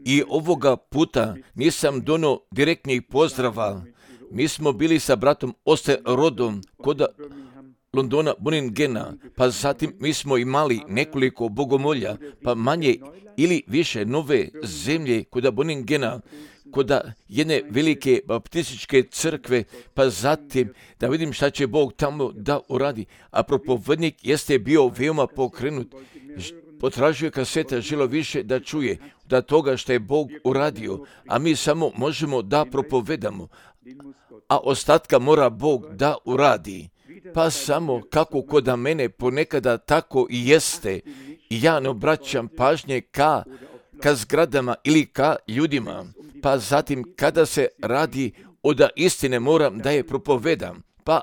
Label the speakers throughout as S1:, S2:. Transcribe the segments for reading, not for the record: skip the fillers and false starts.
S1: I ovoga puta nisam donio direktnih pozdrava. Mi smo bili sa bratom Osterodom kod Londona, Birmingama, pa zatim mi smo imali nekoliko bogomolja, pa manje ili više nove zemlje kod Birmingama, kod jedne velike baptističke crkve, pa zatim da vidim šta će Bog tamo da uradi. A propovednik jeste bio veoma pokrenut, potražio kaseta, želio više da čuje da toga što je Bog uradio, a mi samo možemo da propovedamo, a ostatka mora Bog da uradi. Pa samo kako kod mene ponekada tako i jeste, i ja ne obraćam pažnje ka zgradama ili ka ljudima, pa zatim kada se radi od istine moram da je propovedam, pa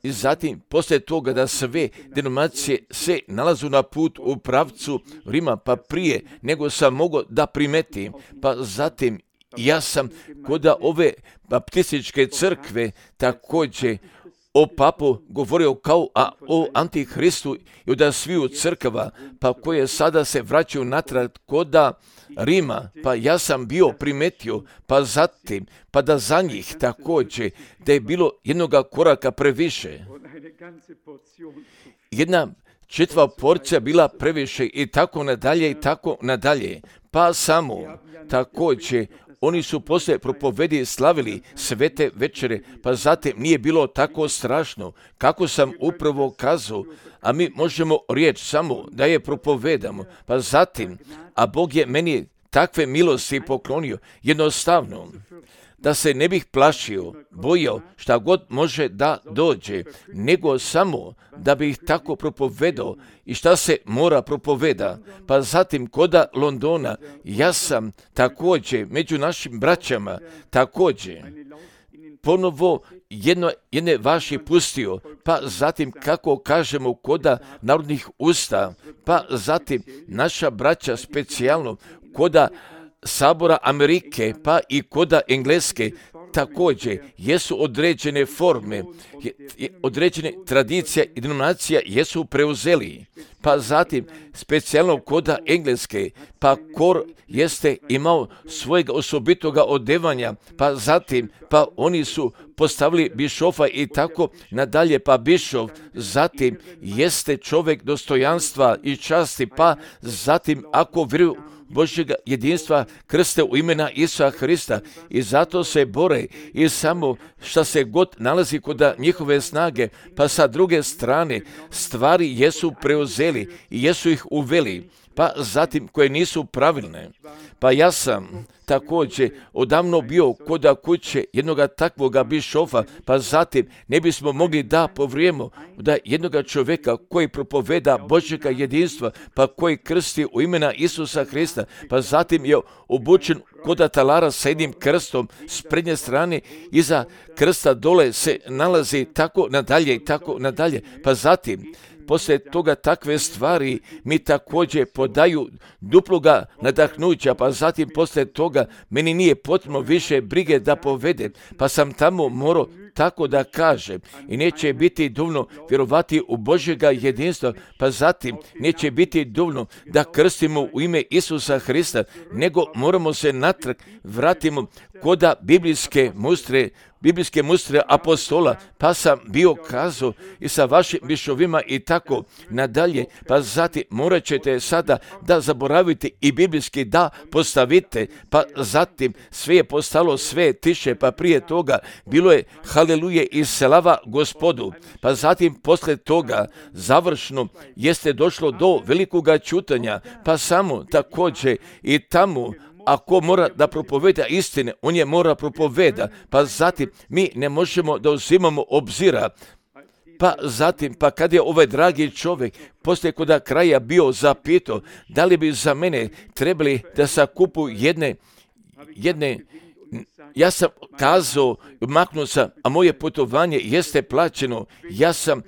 S1: zatim poslije toga da sve denominacije se nalazu na put u pravcu Rima, pa prije nego sam mogao da primetim, pa zatim ja sam kod ove baptističke crkve također o papu govorio kao o antihristu i od sviju crkava, pa koje sada se vraćaju natrag kod Rima, pa ja sam bio primetio, pa zatim, pa da za njih također, da je bilo jednoga koraka previše. Jedna čitva porcija bila previše i tako nadalje, pa samo također, oni su poslije propovedi slavili svete večere, pa zatim nije bilo tako strašno, kako sam upravo kazao, a mi možemo riječ samo da je propovedamo, pa zatim, a Bog je meni takve milosti poklonio, jednostavno, da se ne bih plašio, bojao šta god može da dođe, nego samo da bih tako propovedao i šta se mora propoveda. Pa zatim koda Londona, ja sam također među našim braćama, također ponovo jedne vaši pustio, pa zatim kako kažemo koda narodnih usta, pa zatim naša braća specijalno koda Sabora Amerike, pa i koda Engleske, također jesu određene forme, određene tradicije i denominacija jesu preuzeli. Pa zatim, specijalno koda Engleske, pa kor jeste imao svojega osobitoga odevanja, pa zatim, pa oni su postavili bišofa i tako nadalje, pa bišov zatim jeste čovjek dostojanstva i časti, pa zatim ako vjeruju Božjega jedinstva krste u imena Isusa Hrista i zato se bore i samo šta se god nalazi kod njihove snage, pa sa druge strane stvari jesu preuzeli i jesu ih uveli, pa zatim koje nisu pravilne. Pa ja sam također odavno bio kod kuće jednoga takvoga bišofa, pa zatim ne bismo mogli da povrijemo da jednoga čovjeka koji propoveda Božjega jedinstva, pa koji krsti u imena Isusa Hrista, pa zatim je obučen kod talara sa jednim krstom s prednje strane, iza krsta dole se nalazi tako nadalje, pa zatim poslije toga takve stvari mi također podaju duploga nadahnuća, pa zatim poslije toga meni nije potrebno više brige da povedem, pa sam tamo morao tako da kažem i neće biti dovoljno vjerovati u Božjega jedinstva, pa zatim neće biti dovoljno da krstimo u ime Isusa Hrista, nego moramo se natrag vratimo koda biblijske mustre apostola, pa sam bio kazao i sa vašim bišovima i tako nadalje, pa zatim morat ćete sada da zaboravite i biblijski da postavite, pa zatim sve je postalo sve tiše, pa prije toga bilo je haleluje i slava Gospodu, pa zatim posle toga završno jeste došlo do velikoga čutanja, pa samo također i tamo ako mora da propoveda istine, on je mora propoveda, pa zatim mi ne možemo da uzimamo obzira. Pa zatim, pa kad je ovaj dragi čovjek poslije koda kraja bio zapitao da li bi za mene trebali da sakupu jedne ja sam kazao, maknuo sam, a moje putovanje jeste plaćeno. Ja sam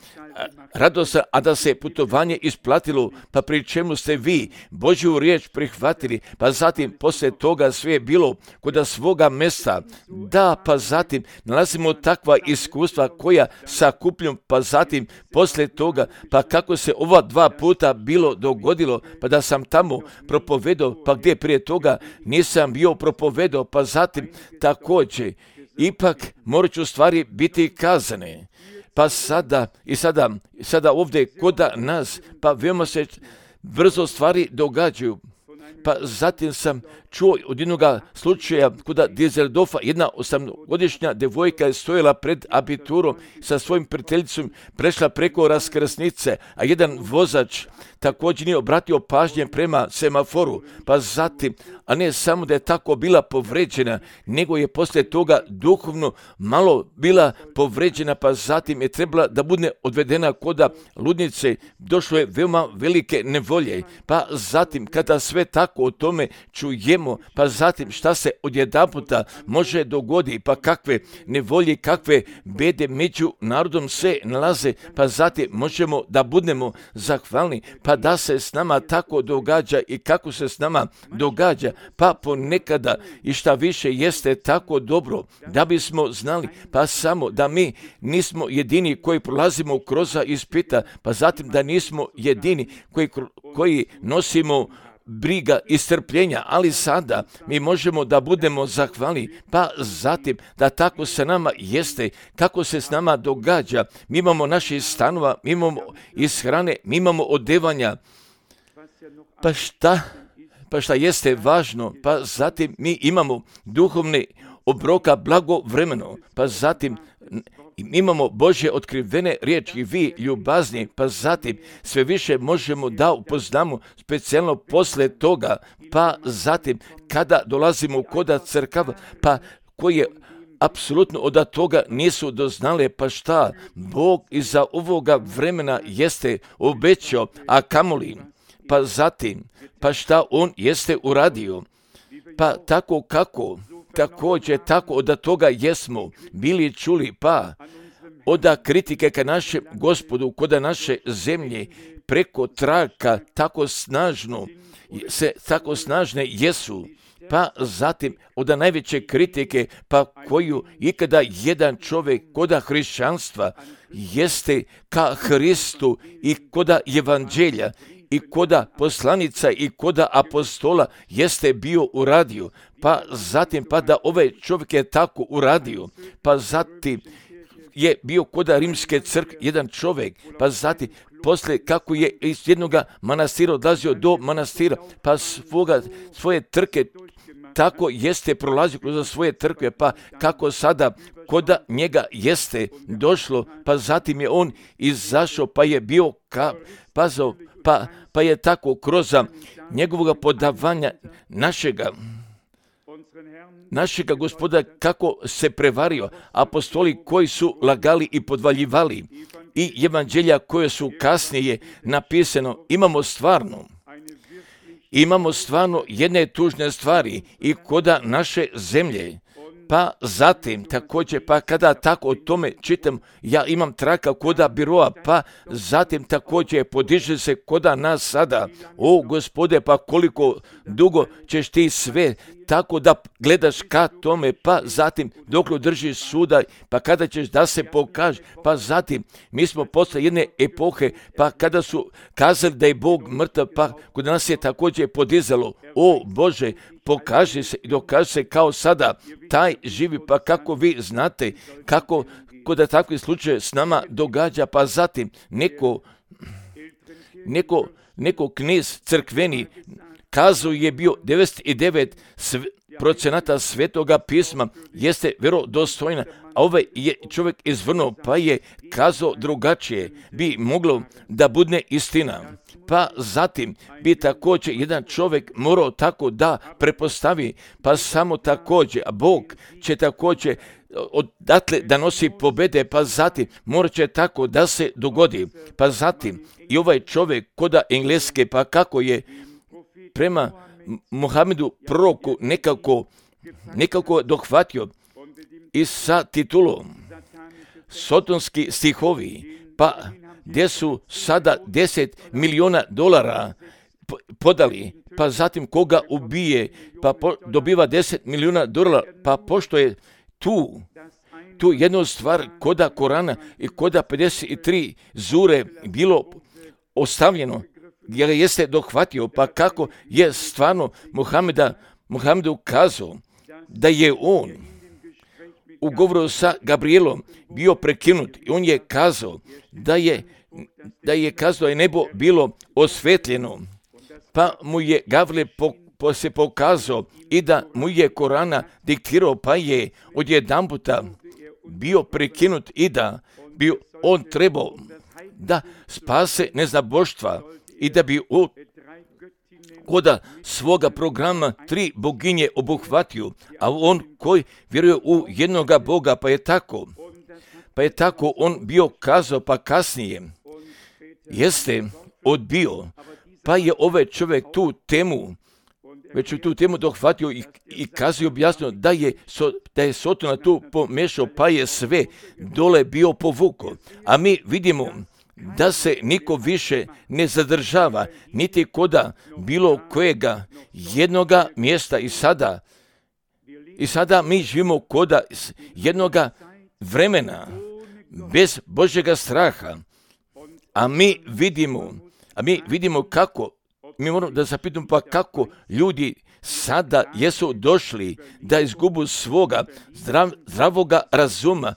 S1: radosan, a da se putovanje isplatilo, pa pri čemu ste vi Božju riječ prihvatili, pa zatim poslije toga sve je bilo kod svoga mjesta. Da, pa zatim nalazimo takva iskustva koja sakupljam, pa zatim poslije toga, pa kako se ova 2 puta bilo dogodilo, pa da sam tamo propovedao, pa gdje prije toga nisam bio propovedao, pa zatim također, ipak morat ću stvari biti kazane. Pa sada ovdje kod nas, pa veoma se brzo stvari događaju. Pa zatim sam čuo od jednog slučaja kod Düsseldorfa, jedna 8-godišnja devojka je stojala pred abiturom sa svojim prijateljicom, prešla preko raskrsnice, a jedan vozač također nije obratio pažnje prema semaforu, pa zatim, a ne samo da je tako bila povređena, nego je poslije toga duhovno malo bila povređena, pa zatim je trebala da bude odvedena kod ludnice, došlo je veoma velike nevolje, pa zatim kada sve tako o tome čujemo, pa zatim šta se odjedanputa može dogoditi, pa kakve nevolje, kakve bede među narodom se nalaze, pa zatim možemo da budemo zahvalni, pa da se s nama tako događa i kako se s nama događa, pa ponekada i šta više jeste tako dobro, da bismo znali, pa samo da mi nismo jedini koji prolazimo kroz ispita, pa zatim da nismo jedini koji nosimo briga i strpljenja, ali sada mi možemo da budemo zahvalni, pa zatim da tako se nama jeste, kako se s nama događa. Mi imamo naših stanova, mi imamo ishrane, mi imamo odevanja, pa šta jeste važno, pa zatim mi imamo duhovne obroka blagovremeno, pa zatim imamo Božje otkrivene riječi, vi ljubazni, pa zatim sve više možemo da upoznamo specijalno posle toga, pa zatim kada dolazimo kod crkava, pa koje apsolutno od toga nisu doznale, pa šta Bog iza ovoga vremena jeste obećao, a kamoli, pa zatim, pa šta On jeste uradio, pa tako kako, također tako od toga jesmo bili čuli, pa od kritike ka našem Gospodu, kod naše zemlje, preko traka tako snažne jesu, pa zatim od najveće kritike, pa koju ikada jedan čovjek kod hrišćanstva jeste ka Hristu i kod evanđelja, i koda poslanica i koda apostola jeste bio uradio, pa zatim pa da ovaj čovjek je tako uradio, pa zatim je bio koda rimske crkve jedan čovjek, pa zatim poslije kako je iz jednog manastira odlazio do manastira, pa svoje trke tako jeste prolazio kroz svoje trkve, pa kako sada koda njega jeste došlo, pa zatim je on izašao, pa je bio pa je tako kroz njegovog podavanja našega Gospoda kako se prevario, apostoli koji su lagali i podvaljivali i evanđelja koje su kasnije napisano, imamo stvarno jedne tužne stvari i koda naše zemlje. Pa zatim također, pa kada tako o tome čitam, ja imam traka koda biroa, pa zatim također podiže se koda nas sada. O Gospode, pa koliko dugo ćeš ti sve tako da gledaš ka tome, pa zatim dok držiš suda, pa kada ćeš da se pokaže, pa zatim mi smo posle jedne epohe, pa kada su kazali da je Bog mrtav, pa kod nas je također podizalo, o Bože, pokaži se i dokaži se kao sada, taj živi, pa kako vi znate, kako kod takvih slučaje s nama događa, pa zatim neko knez crkveni kazao je bio 99% svetoga pisma jeste vjerodostojna, a ovaj je čovjek izvrnuo, pa je kazao drugačije, bi moglo da bude istina. Pa zatim bi također jedan čovjek morao tako da prepostavi, pa samo također, a Bog će također odatle da nosi pobede, pa zatim morat će tako da se dogodi, pa zatim i ovaj čovjek koda Engleske, pa kako je prema Muhamedu proroku nekako nekako dohvatio i sa titulom Sotonski stihovi, pa gdje su sada $10 milijuna podali, pa zatim koga ubije, pa dobiva $10 milijuna, pa pošto je tu jednu stvar koda Korana i koda 53 zure bilo ostavljeno, jer jeste dohvatio, pa kako je stvarno Muhamedu kazao da je on u govoru sa Gabrielom bio prekinut i on je kazao da je kazao je nebo bilo osvetljeno, pa mu je Gabriel se pokazao i da mu je Korana diktirao, pa je odjedanputa bio prekinut i da bi on trebao da spase neznaboštva i da bi koda svoga programa 3 boginje obuhvatio, a on koji vjeruje u jednoga Boga, pa je tako on bio kazao, pa kasnije jeste odbio, pa je ovaj čovjek tu temu dohvatio i kazao objasnio da je Sotona tu pomešao, pa je sve dole bio povuko. A mi vidimo da se niko više ne zadržava, niti koda bilo kojega jednoga mjesta i sada mi živimo koda jednoga vremena bez Božjega straha, a mi vidimo kako, mi moramo da zapitamo pa kako ljudi sada jesu došli da izgubu svoga zdravoga razuma,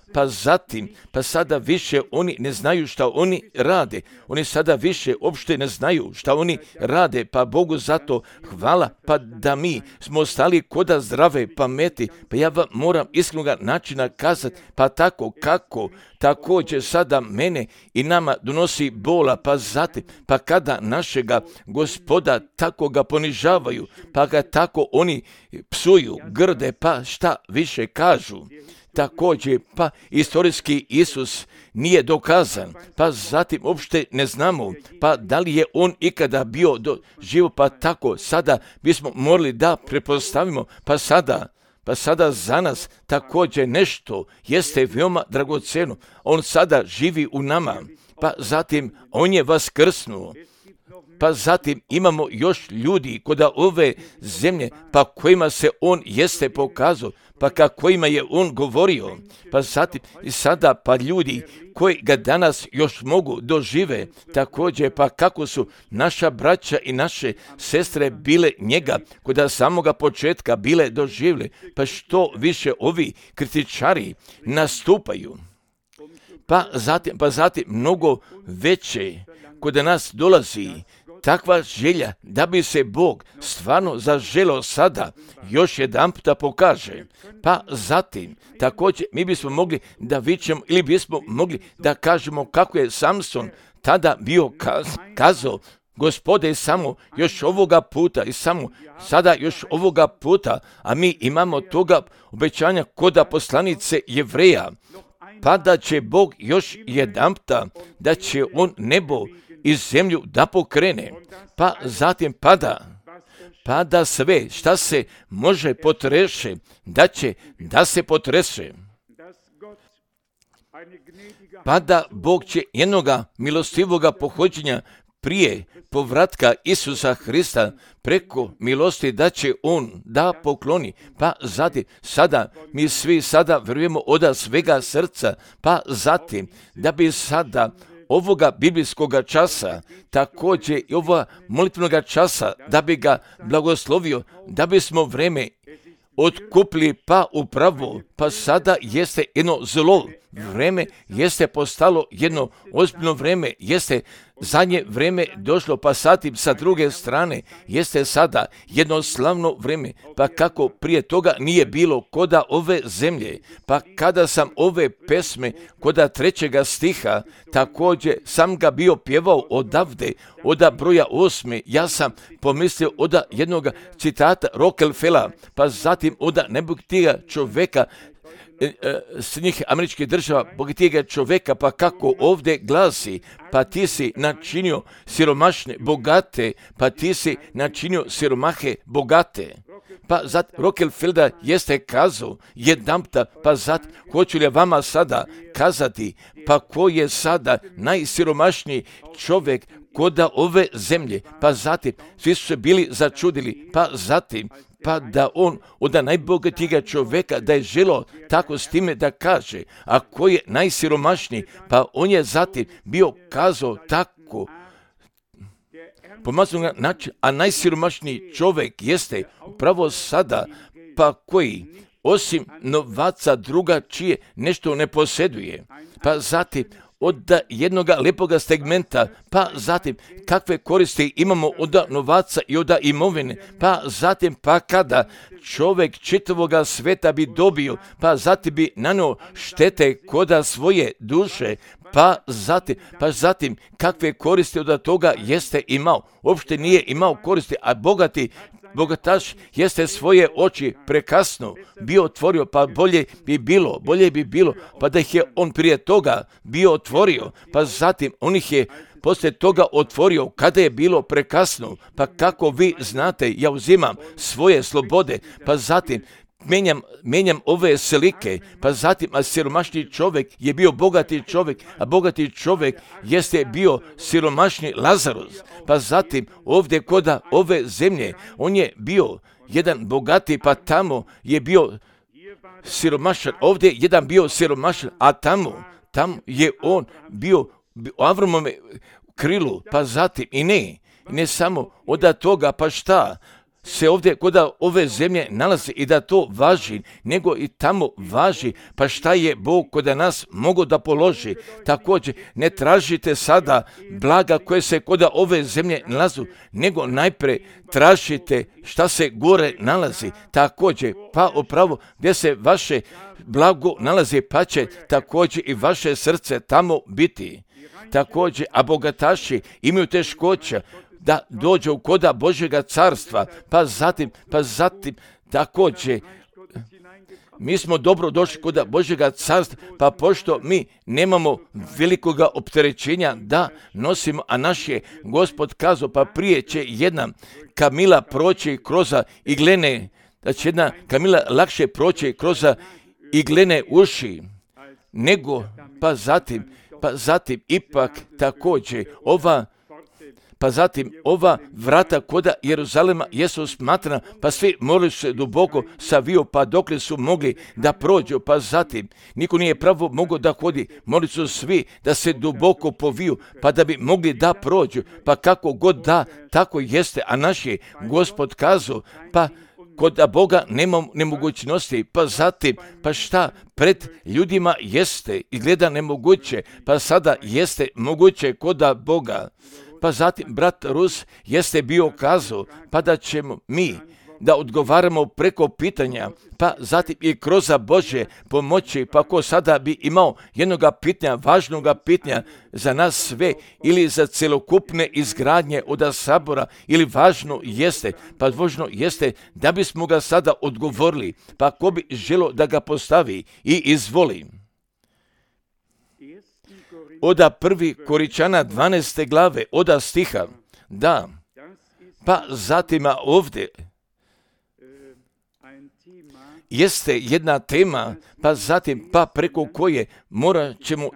S1: pa sada više oni ne znaju šta oni rade. Oni sada više uopšte ne znaju šta oni rade, pa Bogu zato hvala, pa da mi smo ostali koda zdrave pameti, pa ja vam moram iskrenoga načina kazati, pa tako kako također sada mene i nama donosi bola, pa zatim, pa kada našega Gospoda tako ga ponižavaju, pa ga tako oni psuju, grde, pa šta više kažu. Također, pa istorijski Isus nije dokazan, pa zatim uopšte ne znamo, pa da li je on ikada bio živo, pa tako sada bismo morali da prepostavimo, pa sada za nas također nešto jeste veoma dragoceno. On sada živi u nama, pa zatim on je vaskrsnuo. Pa zatim imamo još ljudi koda ove zemlje, pa kojima se on jeste pokazao, pa kojima je on govorio. Pa zatim i sada pa ljudi koji ga danas još mogu dožive, također pa kako su naša braća i naše sestre bile njega koda samoga početka bile doživjeli, pa što više ovi kritičari nastupaju. Pa zatim mnogo veće kod nas dolazi takva želja da bi se Bog stvarno zaželio sada još jedan puta pokaže. Pa zatim također mi bismo mogli da vičemo ili bismo mogli da kažemo kako je Samson tada bio kazao, Gospode, samo još ovoga puta i samo sada još ovoga puta, a mi imamo toga obećanja koda poslanice Jevreja, pa da će Bog još jedanputa, da će on nebo i zemlju da pokrene, pa zatim pada sve šta se može potreše, da se potrese. Pa da Bog će jednoga milostivoga pohođenja prije povratka Isusa Hrista preko milosti da će on da pokloni, pa zatim sada mi svi sada vjerujemo od svega srca, pa zatim da bi sada ovoga biblijskoga časa, također i ovoga molitvenoga časa, da bi ga blagoslovio, da bismo vreme otkupili pa upravo, pa sada jeste jedno zlo vreme, jeste postalo jedno ozbiljno vreme, jeste zadnje vreme došlo, pa zatim sa druge strane jeste sada jedno slavno vreme, pa kako prije toga nije bilo koda ove zemlje, pa kada sam ove pesme koda 3. stiha, također sam ga bio pjevao odavde, od broja 8, ja sam pomislio od jednog citata Rockefellera, pa zatim od nebogatiga čoveka Sjedinjenih Američkih Država, bogatijega čoveka, pa kako ovdje glasi, pa ti si načinio siromašne bogate, pa ti si načinio siromahe bogate. Pa zatim Rockefeller jeste kazao jedanputa, pa zatim hoću li vama sada kazati, pa ko je sada najsiromašniji čovjek koda ove zemlje, pa zatim svi su se bili začudili, pa zatim pa da on od najbogatijega čovjeka da je želo tako s time da kaže, a ko je najsiromašniji, pa on je zatim bio kazao tako pomaznog način, a najsiromašniji čovjek jeste upravo sada, pa koji osim novaca drugačije nešto ne posjeduje, pa zatim od jednoga lepoga segmenta, pa zatim kakve koristi imamo od novaca i od imovine, pa zatim pa kada čovjek čitavoga sveta bi dobio, pa zatim bi nanio štete koda svoje duše, pa zatim kakve koristi od toga jeste imao, uopšte nije imao koristi, a bogataš jeste svoje oči prekasno bio otvorio, pa bolje bi bilo, pa da ih je on prije toga bio otvorio, pa zatim on ih je poslije toga otvorio kada je bilo prekasno, pa kako vi znate, ja uzimam svoje slobode, pa zatim mijenjam ove slike, pa zatim, a siromašni čovjek je bio bogati čovjek, a bogati čovjek jeste bio siromašni Lazarus, pa zatim ovdje koda ove zemlje, on je bio jedan bogati, pa tamo je bio siromašan, ovdje jedan bio siromašan, a tamo je on bio u Avramome krilu, pa zatim i ne samo od toga, pa šta se ovdje kod ove zemlje nalazi i da to važi, nego i tamo važi, pa šta je Bog kod nas mogo da položi. Također, ne tražite sada blaga koje se kod ove zemlje nalazu, nego najprije tražite šta se gore nalazi. Također, pa upravo gdje se vaše blago nalazi, pa će također i vaše srce tamo biti. Također, a bogataši imaju teškoća da dođe u koda Božjega carstva, pa zatim također mi smo dobro došli koda Božjega carstva, pa pošto mi nemamo velikoga opterećenja da nosimo, a naš je Gospod kazao, pa prije će jedna kamila proći kroz iglene, da će jedna kamila lakše proći kroz iglene uši, nego pa zatim ipak također ova vrata koda Jeruzalema jesu smatrana, pa svi morali se duboko saviju, pa dokle su mogli da prođu, pa zatim niko nije pravo mogao da hodi, morali su svi da se duboko poviju, pa da bi mogli da prođu, pa kako god da, tako jeste, a naš je Gospod kazao, pa kod Boga nema nemogućnosti, pa zatim, pa šta pred ljudima jeste izgleda nemoguće, pa sada jeste moguće kod Boga. Pa zatim brat Rus jeste bio kazao, pa da ćemo mi da odgovaramo preko pitanja, pa zatim i kroz Božje pomoći, pa ko sada bi imao jednoga pitanja, važnoga pitanja za nas sve ili za celokupne izgradnje od sabora, ili važno jeste da bismo ga sada odgovorili, pa ko bi želo da ga postavi i izvoli. Oda 1. Koričana 12. glave, oda stiha, da, pa zatim ovdje jeste jedna tema, pa zatim, pa preko koje morat ćemo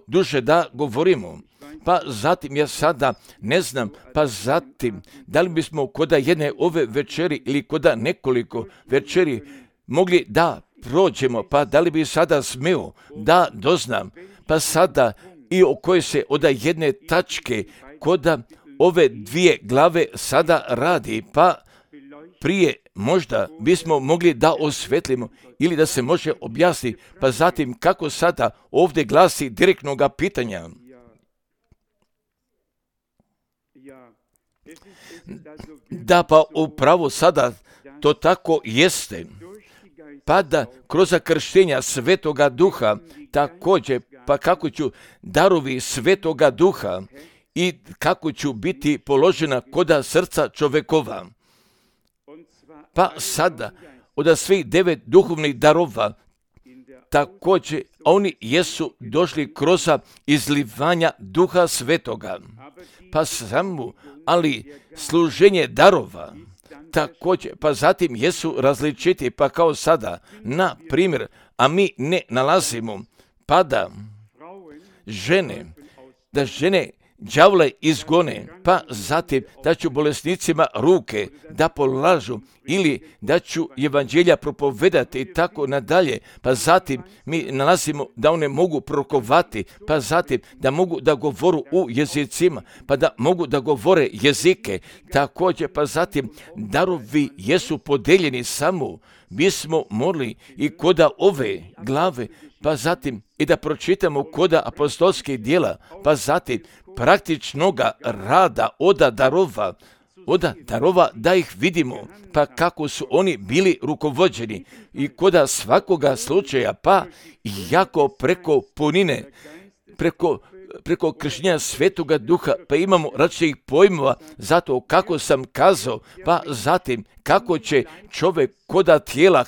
S1: duže da govorimo. Pa zatim ja sada ne znam, pa zatim da li bismo koda jedne ove večeri ili koda nekoliko večeri mogli da prođemo, pa da li bi sada smeo da doznam, pa sada i o kojoj se od jedne tačke koda ove dvije glave sada radi, pa prije možda bismo mogli da osvetlimo ili da se može objasniti, pa zatim kako sada ovdje glasi direktnoga pitanja. Da, pa upravo sada to tako jeste, pa da kroz krštenja Svetoga Duha također, pa kako ću darovi Svetoga Duha i kako ću biti položena koda srca čovekova. Pa sada, od svih 9 duhovnih darova, također oni jesu došli kroz izlivanja Duha Svetoga. Pa samo, ali služenje darova, također, pa zatim jesu različiti, pa kao sada, na primjer, a mi ne nalazimo, pa da žene đavle izgone, pa zatim da ću bolesnicima ruke da polažu ili da ću evanđelja propovedati i tako nadalje, pa zatim mi nalazimo da one mogu prorokovati, pa zatim da mogu da govoru u jezicima, pa da mogu da govore jezike, također pa zatim darovi jesu podeljeni samo, mi smo morali i koda ove glave, pa zatim i da pročitamo koda apostolskih djela, pa zatim praktičnoga rada od darova da ih vidimo, pa kako su oni bili rukovođeni i koda svakoga slučaja, pa jako preko punine, preko kršenja Svetoga Duha, pa imamo različitih pojmova zato kako sam kazao, pa zatim kako će čovjek koda tijela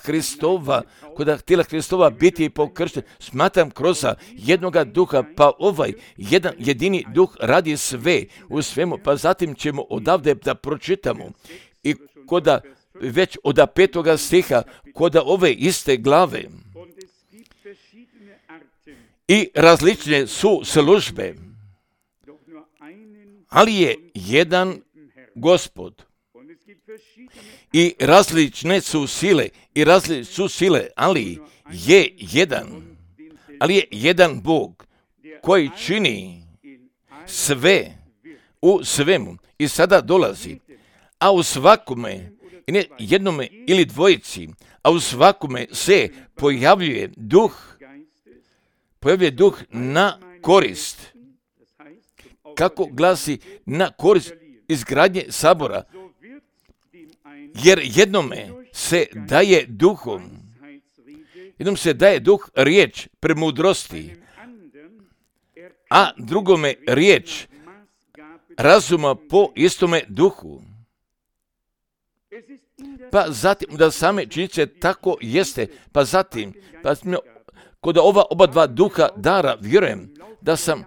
S1: Hristova biti pokršten. Smatram kroz jednoga duha, pa ovaj jedan jedini duh radi sve u svemu, pa zatim ćemo odavde da pročitamo i koda već od 5. stiha koda ove iste glave. I različne su službe, ali je jedan Gospod. I različne su sile, ali je jedan Bog koji čini sve u svemu. I sada dolazi, a u svakome, i ne jednome ili dvojici, a u svakome se pojavljuje duh na korist. Kako glasi na korist izgradnje sabora? Jer jednome se daje duh riječ premudrosti, a drugome riječ razuma po istome duhu. Pa zatim da same činjenice tako jeste, pa zatim kod ova oba dva duha dara vjerujem da sam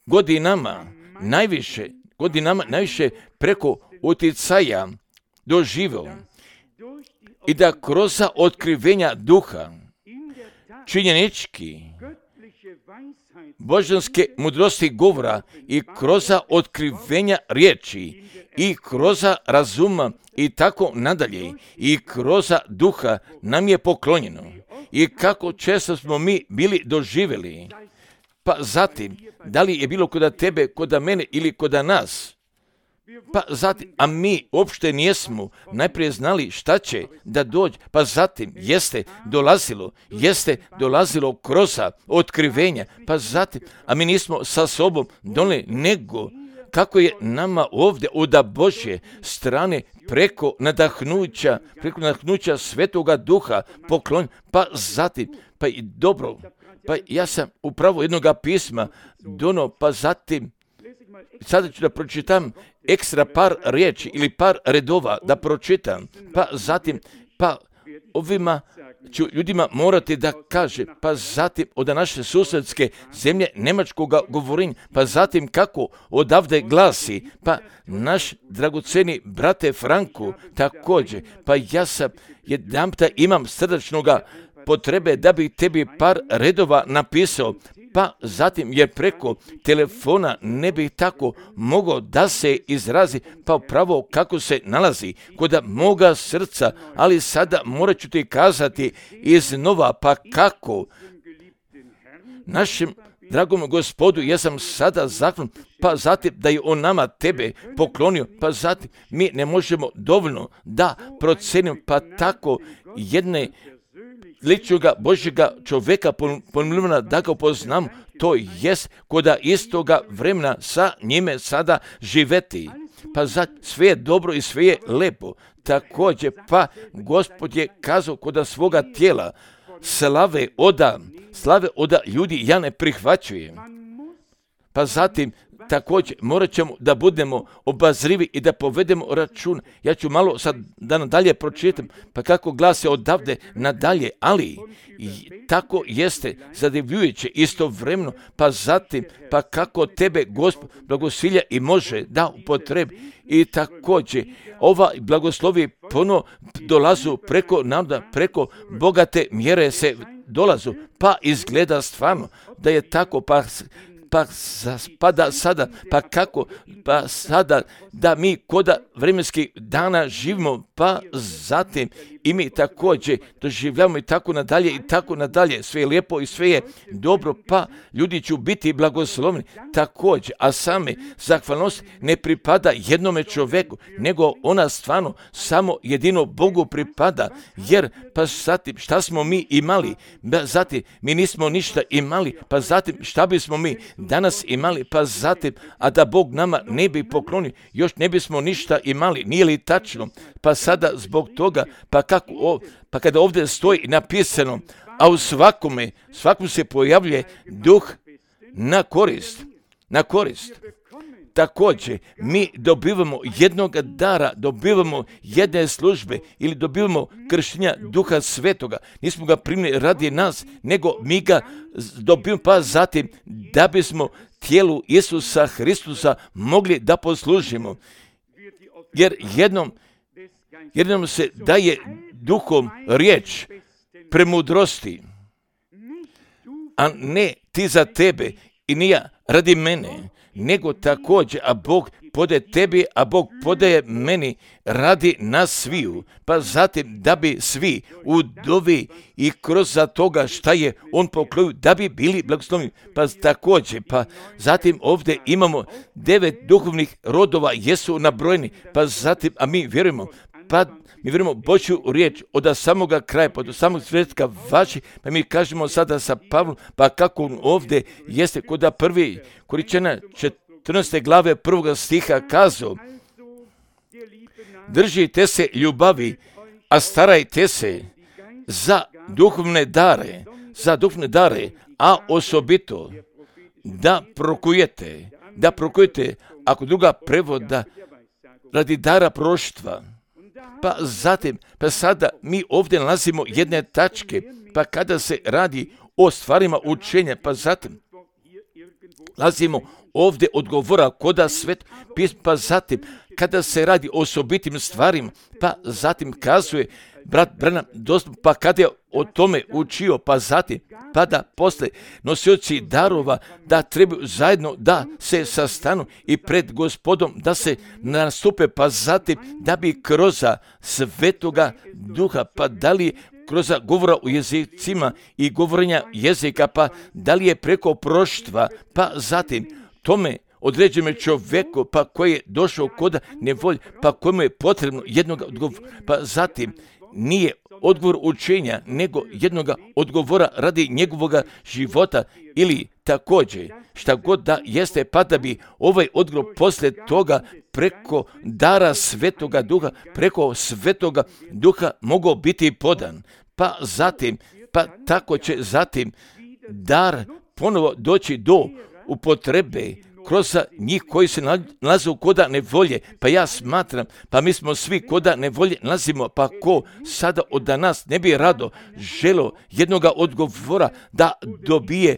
S1: godinama najviše preko utjecaja doživio i da kroz otkrivenja duha činjenički božanske mudrosti govora i kroz otkrivenja riječi i kroz razuma i tako nadalje i kroz duha nam je poklonjeno i kako često smo mi bili doživjeli. Pa zatim, da li je bilo kod tebe, kod mene ili kod nas? Pa zatim, a mi uopšte nijesmo najprije znali šta će da dođe, pa zatim jeste dolazilo kroz otkrivenja, pa zatim, a mi nismo sa sobom donijeli, nego kako je nama ovdje od Božje strane preko nadahnuća Svetoga Duha poklon, pa zatim, pa i dobro, pa ja sam upravo jednoga pisma dono, pa zatim, sada ću da pročitam ekstra par riječi ili par redova da pročitam, pa zatim, pa ovima ću ljudima morati da kaže, pa zatim od naše susjedske zemlje nemačkoga govorenja, pa zatim kako odavde glasi, pa naš dragoceni brate Franku također, pa ja sam jedanputa imam srdačnoga potrebe da bi tebi par redova napisao, pa zatim jer preko telefona ne bi tako mogao da se izrazi, pa pravo kako se nalazi kod moga srca, ali sada morat ću ti kazati iznova, pa kako našem dragom Gospodu, ja sam sada zakon, pa zatim da je on nama tebe poklonio, pa zatim mi ne možemo dovoljno da procenimo, pa tako jedne ličnoga Božjega čovjeka pomilivana da ga upoznamo, to jest koda istoga vremena sa njime sada živeti. Pa sve je dobro i sve je lepo. Također pa Gospod je kazao koda svoga tijela slave oda ljudi ja ne prihvaćujem. Pa zatim također morat ćemo da budemo obazrivi i da povedemo račun. Ja ću malo sad da nadalje pročitam, pa kako glasi odavde nadalje, ali tako jeste zadivljujuće istovremeno, pa zatim, pa kako tebe Gospod blagosilja i može da upotrebi. I također ova blagoslovi puno dolazu preko naroda, preko bogate mjere se dolazu, pa izgleda stvarno da je tako, pa da sada, pa kako, pa sada da mi koda vremenskih dana živimo, pa zatim i mi također doživljavamo i tako nadalje, sve je lijepo i sve je dobro, pa ljudi će biti blagoslovni također, a same zahvalnost ne pripada jednome čovjeku, nego ona stvarno samo jedino Bogu pripada, jer pa zatim šta smo mi imali, zatim mi nismo ništa imali, pa zatim šta bismo mi danas imali, pa zatim, a da Bog nama ne bi poklonio, još ne bismo ništa imali, nije li tačno? Pa sada zbog toga, pa kada ovdje stoji napisano, a u svakom se pojavljuje duh na korist. Također, mi dobivamo jednog dara, dobivamo jedne službe ili dobivamo krštenja Duha Svetoga. Nismo ga primili radi nas, nego mi ga dobivamo, pa zatim da bismo tijelu Isusa Hristusa mogli da poslužimo. Jer jednom se daje duhom riječ premudrosti, a ne ti za tebe i nije radi mene, nego također, a Bog podaje tebi, a Bog podaje meni radi nas sviju, pa zatim da bi svi u dovi i kroz za toga šta je on poklonio, da bi bili blagosloveni, pa također, pa zatim ovdje imamo 9 duhovnih rodova, jesu nabrojeni, pa zatim, a mi vjerujemo Božju riječ od samoga kraja, pa do samog svjetka vaši, pa mi kažemo sada sa Pavlom, pa kako on ovdje jeste, kod prvi Korinčana 14. glave 1. stiha kazao, držite se ljubavi, a starajte se za duhovne dare, a osobito da prokujete, ako druga prevoda, radi dara proroštva. Pa zatim, pa sada mi ovdje nalazimo jedne tačke, pa kada se radi o stvarima učenja, pa zatim nalazimo ovdje odgovora koda svet pisma, pa zatim kada se radi o osobitim stvarima, pa zatim kazuje brat Branham dostupno, pa kada je o tome učio, pa zatim, pa da posle nosioci darova da trebaju zajedno da se sastanu i pred Gospodom da se nastupe, pa zatim da bi kroz Svetoga Duha, pa da li kroz govora u jezicima i govorenja jezika, pa da li je preko proštva, pa zatim tome određenom čovjeku, pa koji je došao kod nevolje, pa kojemu je potrebno jednog odgovora, pa zatim nije odgovor učenja, nego jednog odgovora radi njegovog života ili također šta god da jeste, pa da bi ovaj odgovor poslije toga preko dara Svetoga Duha, preko Svetoga Duha mogao biti podan. Pa zatim, pa tako će zatim dar ponovo doći do upotrebe kroz njih koji se nalaze u koda nevolje, pa ja smatram, pa mi smo svi koda nevolje nalazimo, pa ko sada od nas ne bi rado želo jednoga odgovora da dobije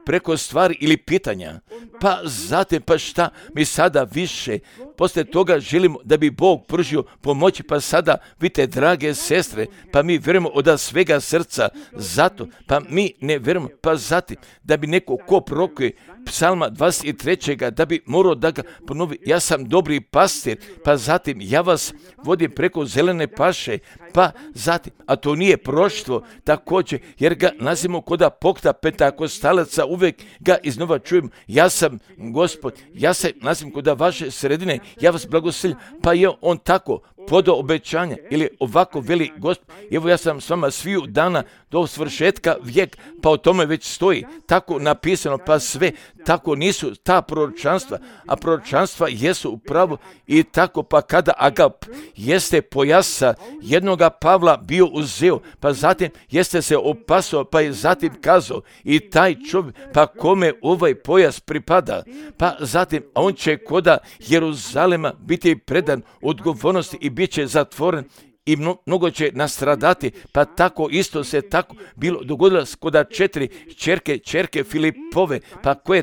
S1: preko stvari ili pitanja, pa zatim, pa šta mi sada više, poslije toga želimo da bi Bog pružio pomoći, pa sada, vidite, drage sestre, pa mi vjerujemo od svega srca, zato, pa mi ne vjerujemo, pa zatim, da bi neko ko prorokuje Psalma 23. da bi morao da ga ponovi, ja sam dobri pastir, pa zatim, ja vas vodim preko zelene paše, pa zatim, a to nije proštvo, također, jer ga nazimo koda pokta pentakostalaca, uvijek ga iznova čujemo, ja sam Gospod, ja se nazim koda vaše sredine, ja vas blagoslovim, pa je on tako obećanja, ili ovako veli Gospod, evo ja sam s vama sviju dana do svršetka vijek, pa o tome već stoji, tako napisano, pa sve, tako nisu ta proročanstva, a proročanstva jesu upravo i tako, pa kada Agap jeste pojasa jednoga Pavla bio uzeo, pa zatim jeste se opasao, pa je zatim kazao i taj čovjek, pa kome ovaj pojas pripada, pa zatim, a on će koda Jeruzalema biti predan odgovornosti i bit će zatvoren i mnogo će nastradati, pa tako isto se tako bilo dogodilo koda 4 ćerke Filipove, pa koje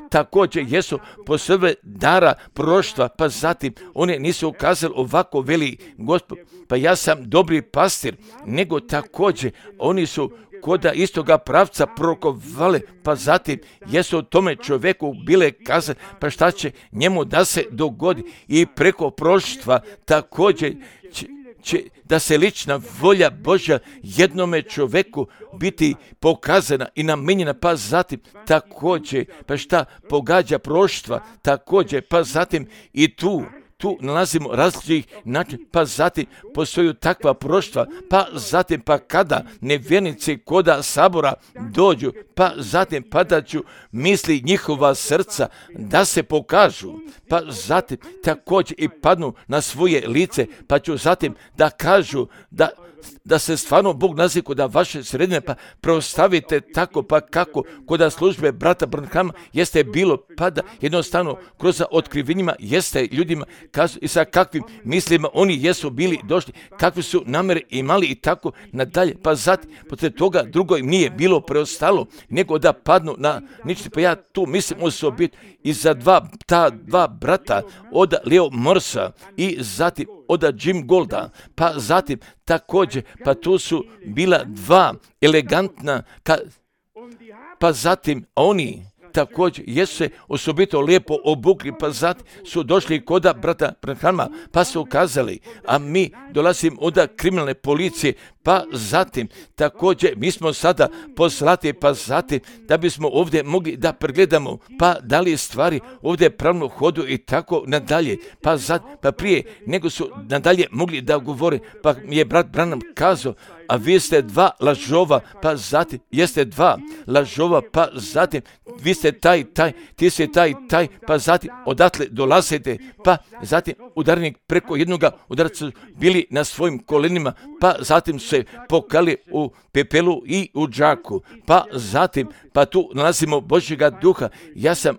S1: također jesu posebne dara proroštva, pa zatim one nisu ukazali ovako veli Gospod, pa ja sam dobri pastir, nego također oni su koda istoga pravca prorokovale, pa zatim jesu o tome čovjeku bile kazane, pa šta će njemu da se dogodi i preko proroštva također će da se lična volja Božja jednome čovjeku biti pokazana i namijenjena, pa zatim također, pa šta pogađa proroštva, također, pa zatim i tu nalazimo različitih načina, pa zatim postoju takva proroštva, pa zatim pa kada nevjernici koda sabora dođu, pa zatim padaću misli njihova srca da se pokažu, pa zatim također i padnu na svoje lice, pa ću zatim da kažu da se stvarno Bog nazi koda vaše sredine, pa preostavite tako, pa kako koda službe brata Branhama jeste bilo, pa da jednostavno kroz otkrivenjima jeste ljudima kazu i sa kakvim mislima oni jesu bili došli, kakve su namere imali i tako nadalje, pa zatim poslije toga drugo im nije bilo preostalo nego da padnu na nični, pa ja tu mislim osobito i za ta dva brata od Leo Morsa i zatim od Jim Golda, pa zatim također, pa tu su bila dva elegantna, pa zatim oni također jesu se osobito lijepo obukli, pa zatim su došli koda brata Branhama, pa su ukazali, a mi dolazimo od kriminalne policije, pa zatim također mi smo sada poslati, pa zatim da bismo ovdje mogli da pregledamo, pa da li stvari ovdje pravno hodu i tako nadalje, pa zatim, pa prije nego su nadalje mogli da govore, pa mi je brat Branham kazao, a vi ste dva lažova, pa zatim jeste dva lažova, pa zatim vi ste ti ste taj, pa zatim odatle dolazite, pa zatim udarnik preko jednoga udarca bili na svojim kolenima, pa zatim se pokali u pepelu i u džaku, pa zatim, pa tu nalazimo Božjega duha. Ja sam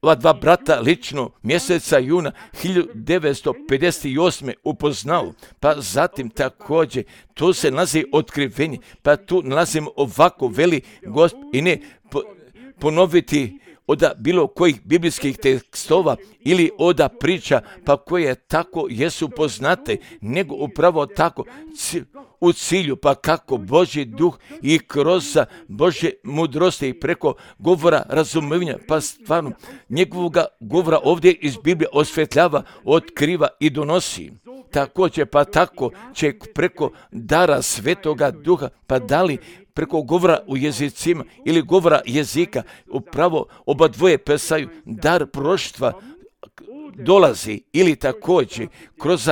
S1: ova dva brata lično mjeseca juna 1958. upoznao, pa zatim također tu se nalazi otkrivenje, pa tu nalazimo ovako veli Gospod i ne ponoviti od bilo kojih biblijskih tekstova ili od priča, pa koje tako jesu poznate, nego upravo tako u cilju, pa kako Božji duh i kroz Božje mudrosti i preko govora razumevanja, pa stvarno njegovoga govora ovdje iz Biblije osvetljava, otkriva i donosi. Također, pa tako će preko dara Svetoga Duha, pa da li preko govora u jezicima ili govora jezika, upravo oba dvoje pesaju, dar proroštva dolazi ili također kroz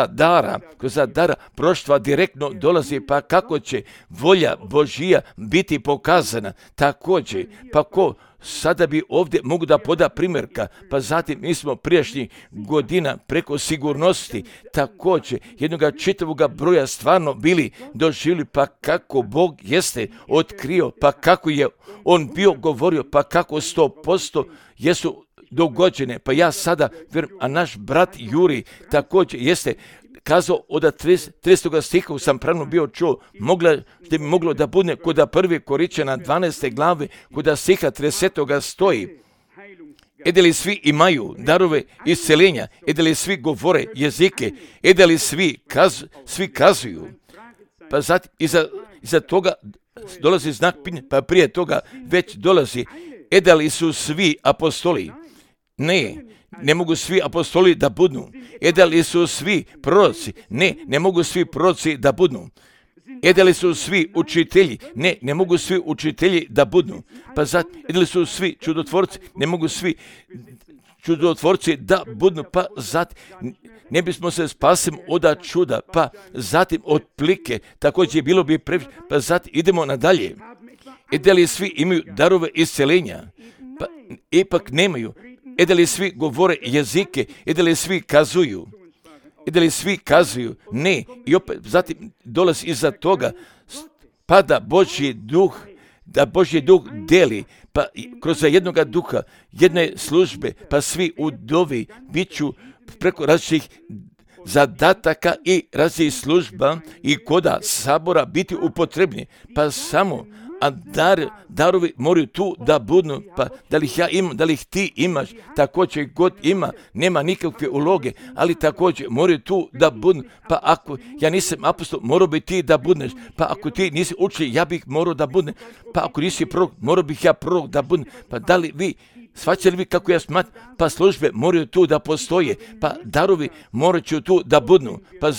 S1: dara proroštva direktno dolazi, pa kako će volja Božija biti pokazana. Također, pa ko sada bi ovdje mogu da poda primjerka, pa zatim mi smo prijašnjih godina preko sigurnosti također jednoga čitavoga broja stvarno bili doživjeli, pa kako Bog jeste otkrio, pa kako je on bio govorio, pa kako 100% jesu dogođene, pa ja sada vjerujem, a naš brat Juri također jeste kazao od 30. stiha sam pravno bio čuo, bi moglo da bude kod 1. Korinćana 12. glave, kod stiha 30. stoji, da li svi imaju darove isceljenja, da li svi govore jezike, da li svi kazuju, pa zatim iza toga dolazi znak pitanja, pa prije toga već dolazi, da li su svi apostoli? Ne mogu svi apostoli da budu. Da li su svi proroci? Ne mogu svi proroci da budu. Da li su svi učitelji? Ne mogu svi učitelji da budu. Pa zatim, da li su svi čudotvorci? Ne mogu svi čudotvorci da budu, pa zatim ne bismo se spasili od čuda, pa zatim od plike, također bilo bi previše, pa zatim idemo nadalje. I da li svi imaju darove isceljenja? Pa ipak nemaju. I da li svi govore jezike? I da li svi kazuju? I da li svi kazuju? Ne. I opet zatim dolazi iza toga, pa da Božji duh deli, pa kroz jednoga duha, jedne službe, pa svi udovi bit ću preko različitih zadataka i različitih služba i koda sabora biti upotrebni, pa samo a darovi moraju tu da budu, pa da li ih ja imam, da li ih ti imaš, također god ima, nema nikakve uloge, ali također moraju tu da budu, pa ako ja nisam apostol, morao bi ti da budeš, pa ako ti nisi učitelj, ja bih morao da budem, pa ako nisi prorok, morao bih ja prorok da budem, pa da li vi, shvaćali vi kako ja smatram, pa službe moraju tu da postoje, pa darovi moraju tu da budu, pa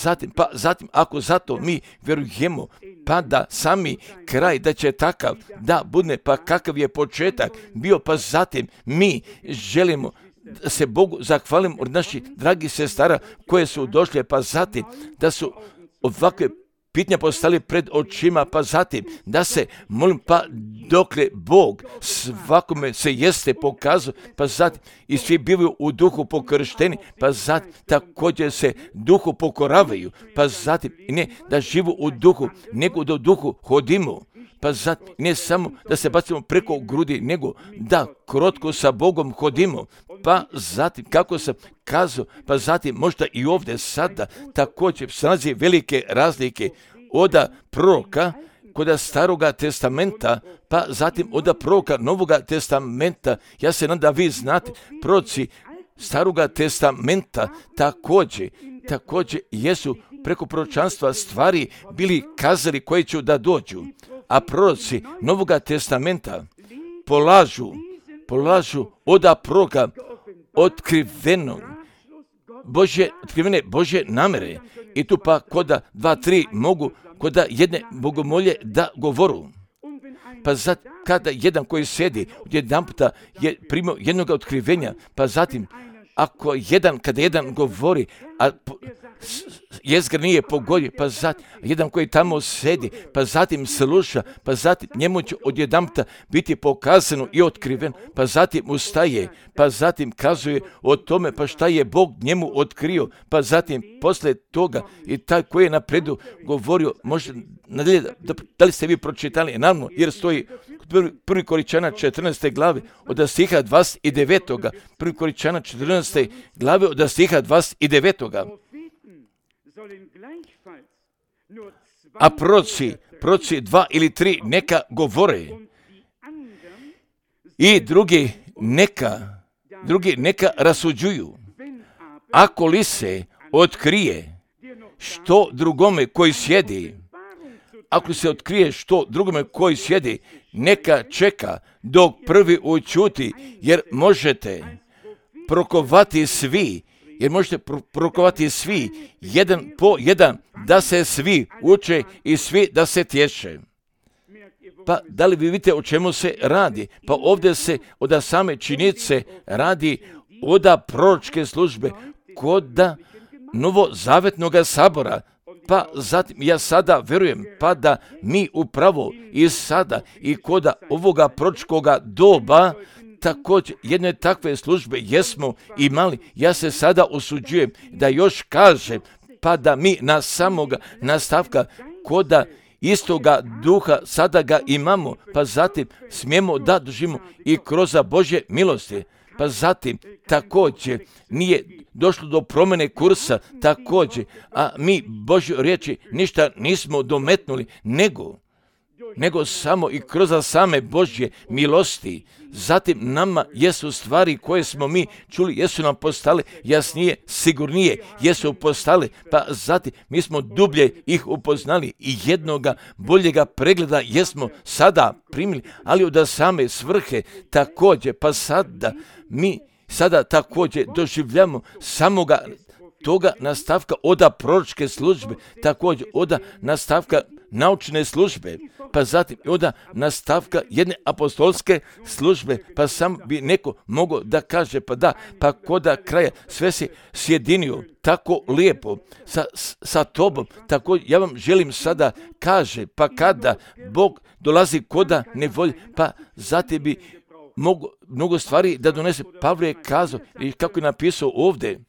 S1: zatim ako zato mi vjerujemo, pa da sami kraj da će takav da bude, pa kakav je početak bio, pa zatim mi želimo da se Bogu zahvalimo od naših dragih sestara koje su došle, pa zatim da su ovakve pitanja postali pred očima, pa zatim da se molim, pa dokle Bog svakome se jeste pokazao, pa zatim i svi bivaju u duhu pokršteni, pa zatim također se duhu pokoravaju, pa zatim ne da živu u duhu, nego da u duhu hodimo, pa zatim ne samo da se bacimo preko grudi, nego da krotko sa Bogom hodimo, pa zatim kako sam kazao, pa zatim možda i ovdje sada također snazi velike razlike od proroka kod Staroga testamenta, pa zatim od proroka Novoga testamenta. Ja se nadam da vi znate, proroci Staroga testamenta također jesu preko proročanstva stvari bili kazali koje će da dođu, a proroci Novoga testamenta polažu od proroka otkrivene Božje namere. I tu pa koda 2-3 mogu koda jedne bogomolje da govoru. Pa zatim kada jedan koji sjedi jedan puta je primio jednog otkrivenja, pa zatim kada jedan govori, a jezgra nije pogodio, pa zatim jedan koji tamo sedi, pa zatim sluša, pa zatim njemu će odjedanputa biti pokazano i otkriven, pa zatim ustaje, pa zatim kazuje o tome, pa šta je Bog njemu otkrio, pa zatim posle toga i taj koji je napredu govorio, može nadalje, da li ste vi pročitali, naravno, jer stoji 1. Korinčana 14. glave od stiha 29. 1. Korinčana 14. glave od stiha 29. A proroci 2 ili 3 neka govore i drugi neka rasuđuju. Ako li se otkrije što drugome koji sjedi, neka čeka dok prvi ućuti, jer možete prokovati svi, jedan po jedan, da se svi uče i svi da se tješe. Pa da li vi vidite o čemu se radi? Pa ovdje se od same činjenice radi od proročke službe kod novozavetnog sabora. Pa zatim ja sada vjerujem pa da mi upravo i sada i kod ovoga proročkoga doba također jedne takve službe jesmo imali. Ja se sada osuđujem da još kažem pa da mi na samoga nastavka koda istoga duha sada ga imamo, pa zatim smijemo da držimo i kroz Božje milosti. Pa zatim također nije došlo do promjene kursa također, a mi Božju riječi ništa nismo dometnuli, nego samo i kroz same Božje milosti. Zatim nama jesu stvari koje smo mi čuli, jesu nam postale jasnije, sigurnije, jesu postale, pa zatim mi smo dublje ih upoznali i jednoga boljega pregleda jesmo sada primili, ali od same svrhe također, pa sada mi također doživljamo samoga toga nastavka oda proročke službe, također oda nastavka naučne službe, pa zatim oda nastavka jedne apostolske službe, pa sam bi neko mogao da kaže, pa da, pa koda kraja sve se sjedinio tako lijepo sa tobom, tako ja vam želim sada kaže, pa kada Bog dolazi koda nevolje, pa zatim bi mnogo stvari da donese. Pavle je kazao, i kako je napisao ovdje,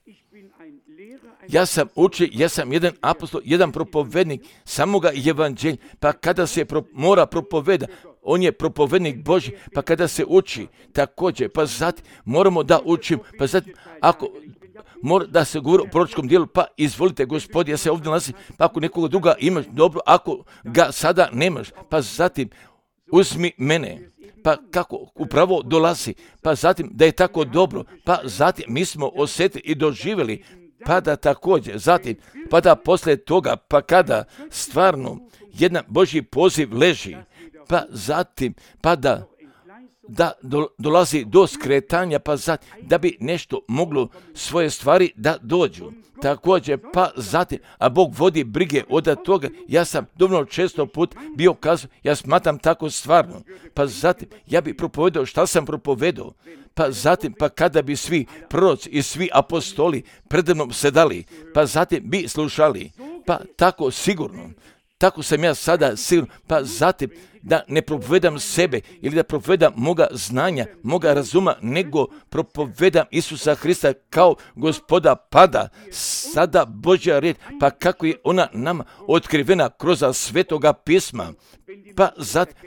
S1: ja sam učitelj, ja sam jedan apostol, jedan propovednik samoga evanđelja, pa kada se mora propoveda, on je propovednik Božji, pa kada se uči također, pa zatim moramo da učimo, pa zatim ako mora da se govori o proročkom dijelu, pa izvolite Gospodi, ja se ovdje nalazim, pa ako nekoga druga imaš, dobro, ako ga sada nemaš, pa zatim uzmi mene. Pa kako upravo dolazi, pa zatim da je tako dobro, pa zatim mi smo osjetili i doživjeli, pa da također, zatim, pa da poslije toga, pa kada stvarno jedan Božji poziv leži, pa zatim, pa da dolazi do skretanja, pa zatim, da bi nešto moglo svoje stvari da dođu. Također, pa zatim, a Bog vodi brige od toga, ja sam dovoljno često put bio kazao, ja smatram tako stvarno, pa zatim, ja bi propovedao šta sam propovedao, pa zatim, pa kada bi svi proroci i svi apostoli predemnom sedali, pa zatim bi slušali, pa tako sigurno, tako sam ja sada sigurno, pa zatim da ne propovedam sebe ili da propovedam moga znanja, moga razuma, nego propovedam Isusa Hrista kao Gospoda, pada sada Božja riječ, pa kako je ona nama otkrivena kroz Svetoga pisma, pa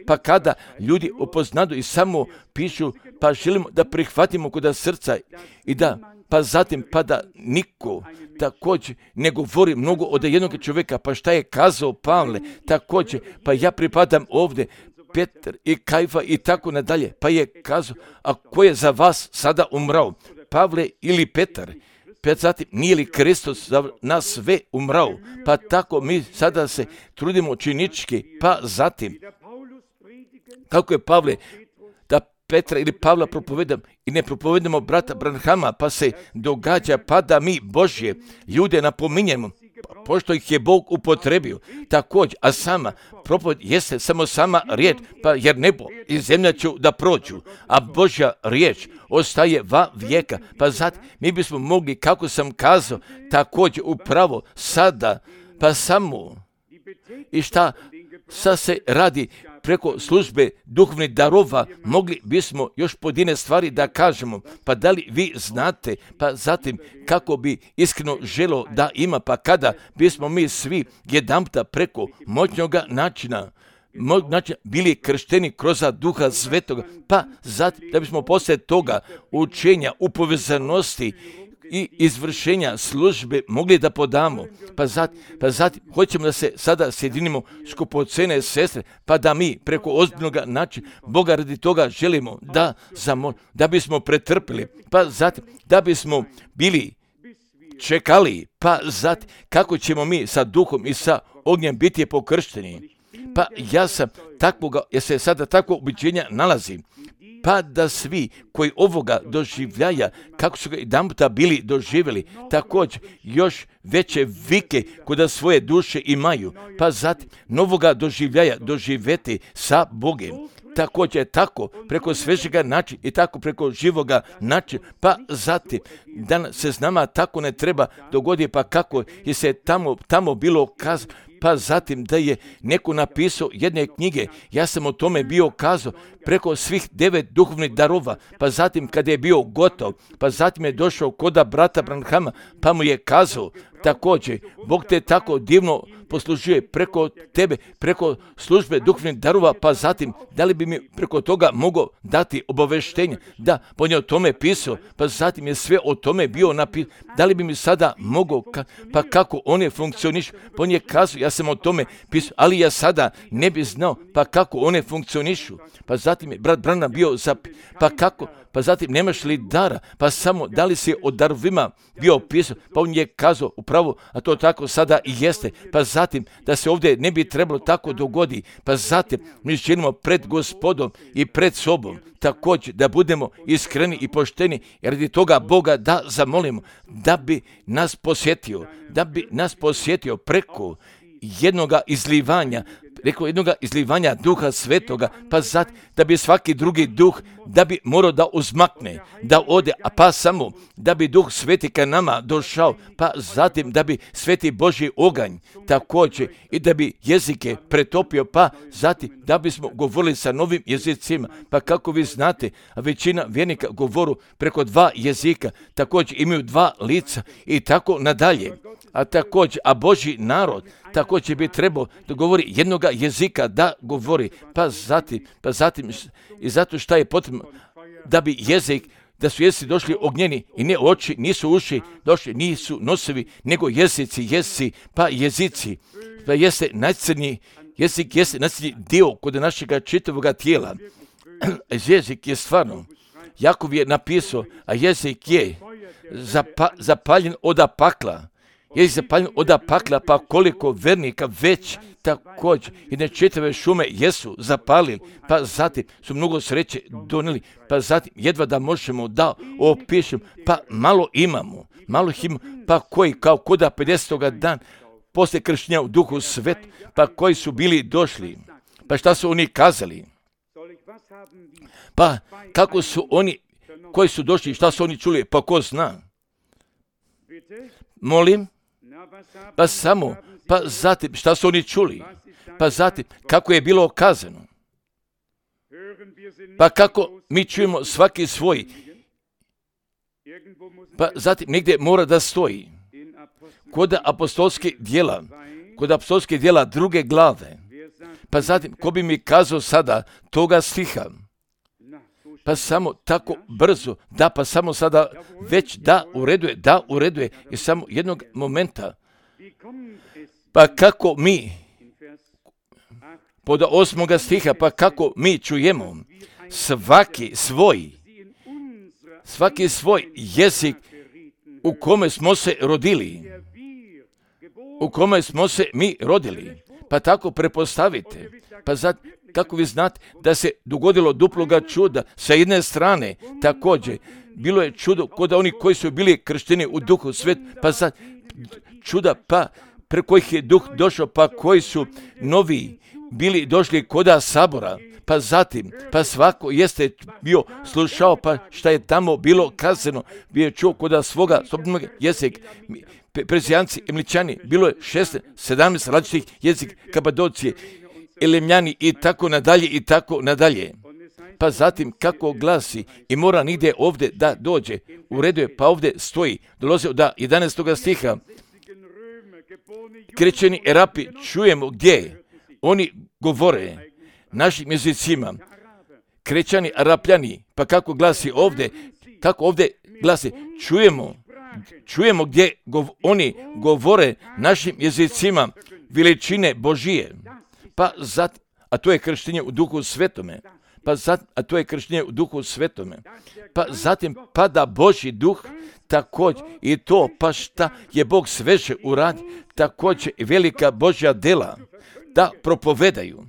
S1: pa kada ljudi upoznadu i samo pišu, pa želimo da prihvatimo kod srca i da, pa zatim, pa da niko također ne govori mnogo od jednog čovjeka, pa šta je kazao Pavle, također, pa ja pripadam ovdje, Petar i Kajfa i tako nadalje, pa je kazao, a ko je za vas sada umrao, Pavle ili Petar? Pa zatim, nije li Kristus za nas sve umrao? Pa tako mi sada se trudimo činički, pa zatim, kako je Pavle, da Petra ili Pavla propovedam i ne propovedamo brata Branhama, pa se događa, pa da mi Božje ljude napominjemo, pošto ih je Bog upotrebio, također, a sama propoved jeste samo sama riječ, pa jer nebo i zemlja će da prođu, a Božja riječ ostaje va vijeka, pa zato mi bismo mogli, kako sam kazao, također upravo sada, pa samo i šta sad se radi preko službe duhovnih darova, mogli bismo još pojedine stvari da kažemo, pa da li vi znate, pa zatim kako bi iskreno želo da ima, pa kada bismo mi svi jedanputa preko moćnoga načina bili kršteni kroz Duha Svetoga, pa zatim da bismo poslije toga učenja u povezanosti i izvršenja službe mogli da podamo, pa zatim hoćemo da se sada sjedinimo skupocene sestre, pa da mi preko ozbiljnog načina Boga radi toga želimo da bismo pretrpili, pa zatim da bismo bili čekali, pa zatim kako ćemo mi sa duhom i sa ognjem biti pokršteni. Pa ja sam takvoga, jer se sada takvo ubiđenja nalazim, pa da svi koji ovoga doživljaja, kako su ga jedanputa bili doživjeli, također još veće vike kod svoje duše imaju, pa zatim novoga doživljaja doživjeti sa Bogem. Također tako preko svežega načina i tako preko živoga načina, pa zatim da se s nama tako ne treba dogoditi, pa kako je se tamo bilo kazano, pa zatim da je neko napisao jedne knjige, ja sam o tome bio kazao, preko svih 9 duhovnih darova, pa zatim kada je bio gotov, pa zatim je došao koda brata Branhama, pa mu je kazao, također, Bog te tako divno poslužuje preko tebe, preko službe duhovnih darova, pa zatim, da li bi mi preko toga mogao dati obaveštenje, da, pa on je o tome pisao, pa zatim je sve o tome bio napisao, da li bi mi sada mogao, pa kako on je funkcioniš, pa on je kazao, ja sam o tome pisao, ali ja sada ne bi znao pa kako one funkcionišu. Pa zatim je brat Branham bio pa kako? Pa zatim nemaš li dara? Pa samo da li si o darovima bio pisao? Pa on je kazao upravo, a to tako sada i jeste. Pa zatim da se ovdje ne bi trebalo tako dogodi. Pa zatim mi činimo pred Gospodom i pred sobom. Također da budemo iskreni i pošteni, jer radi toga Boga da zamolimo da bi nas posjetio preko jednoga izlivanja Duha Svetoga, pa zatim da bi svaki drugi duh da bi morao da uzmakne, da ode, a pa samo da bi Duh Sveti ka nama došao, pa zatim da bi Sveti Božji oganj također i da bi jezike pretopio, pa zatim da bismo govorili sa novim jezicima, pa kako vi znate, a većina vjernika govoru preko 2 jezika, također imaju 2 lica i tako nadalje. A Božji narod također bi trebao da govori jednoga jezika, da govori, pa zatim i zato šta je potrebno da bi jezik, da su jezici došli ognjeni i ne oči, nisu uši došli, nisu nosevi, nego jezici, pa jezici, pa jeste najcrniji, jezik jeste najcrniji dio kod našega čitavoga tijela. Jezik je stvarno, Jakov je napisao, a jezik je zapaljen od pakla. Jezik zapaljen od pakla, pa koliko vernika već također jedne čitave šume jesu zapalili, pa zatim su mnogo sreće donijeli, pa zatim jedva da možemo da opišemo, pa malo imamo, pa koji kao koda 50. dan poslije krštenja u Duhu Svetu, pa koji su bili došli, pa šta su oni kazali, pa kako su oni koji su došli, šta su oni čuli, pa ko zna? Molim? Pa samo, pa zatim, šta su oni čuli? Pa zatim, kako je bilo kazano? Pa kako mi čujemo svaki svoj? Pa zatim, negdje mora da stoji. Kod apostolskih dijela 2. glave. Pa zatim, ko bi mi kazao sada toga stiha? Pa samo tako brzo, pa samo sada već da ureduje i samo jednog momenta. Pa kako mi, pod 8. stiha, pa kako mi čujemo svaki svoj jezik u kome smo se rodili, pa tako prepostavite, pa kako vi znate da se dogodilo duploga čuda sa jedne strane, također bilo je čudo kod oni koji su bili kršteni u Duhu Svet, pa sad čuda, pa preko kojih je Duh došao, pa koji su novi bili došli koda sabora, pa zatim, pa svako jeste bio slušao, pa šta je tamo bilo kazano, bio je čuo koda svoga sobnog jezika, Perzijanci, Emličani, bilo je 17 različitih jezika, Kapadocije, Elemljani i tako nadalje. Pa zatim kako glasi i mora nigdje ovdje da dođe, u redu je, pa ovdje stoji, dolazi od 11. stiha, krečeni Arapi, čujemo gdje oni govore našim jezicima, krečani Arapljani, pa kako glasi ovdje, čujemo gdje oni govore našim jezicima veličine Božije, pa zatim, a to je krštenje u Duhu Svetome, pa zatim pada Božji Duh, također i to, pa šta je Bog sveže uradi, također i velika Božja dela da propovedaju,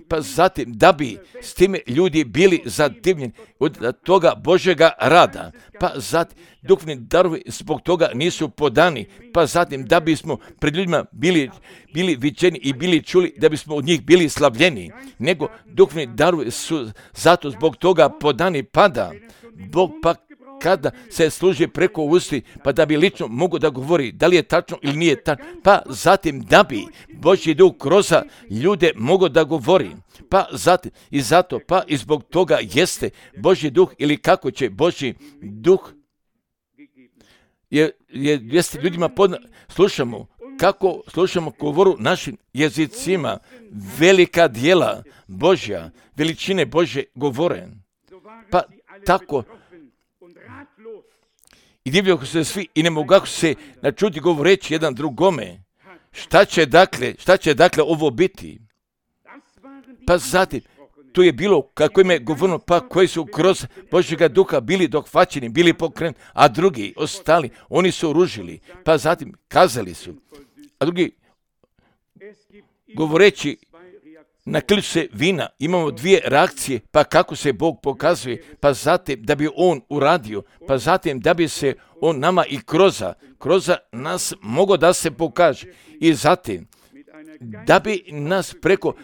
S1: pa zatim da bi s time ljudi bili zadivljeni od toga Božjega rada, pa zatim duhovni darovi zbog toga nisu podani, pa zatim da bismo pred ljudima bili viđeni i bili čuli, da bismo od njih bili slavljeni, nego duhovni darovi su zato zbog toga podani, pada Bog, pa kada se služi preko usti, pa da bi lično mogu da govori da li je tačno ili nije tačno, pa zatim da bi Božji Duh kroz ljude mogu da govori, pa zatim i zato, pa i zbog toga jeste Božji Duh, ili kako će Božji Duh jeste ljudima kako slušamo govoru našim jezicima, velika djela Božja, veličine Božje govore, pa tako i divljaju se svi i ne mogu se načuti govoreći jedan drugome, šta će dakle ovo biti? Pa zatim, tu je bilo, kako im je govoreno, pa koji su kroz Božjega duha bili dohvaćeni, bili pokrenuti, a drugi ostali, oni su ružili, pa zatim kazali su, a drugi govoreći na ključ se vina, imamo dvije reakcije, pa kako se Bog pokazuje, pa zatim da bi On uradio, pa zatim da bi se On nama i kroz nas mogao da se pokaže i zatim da bi nas preko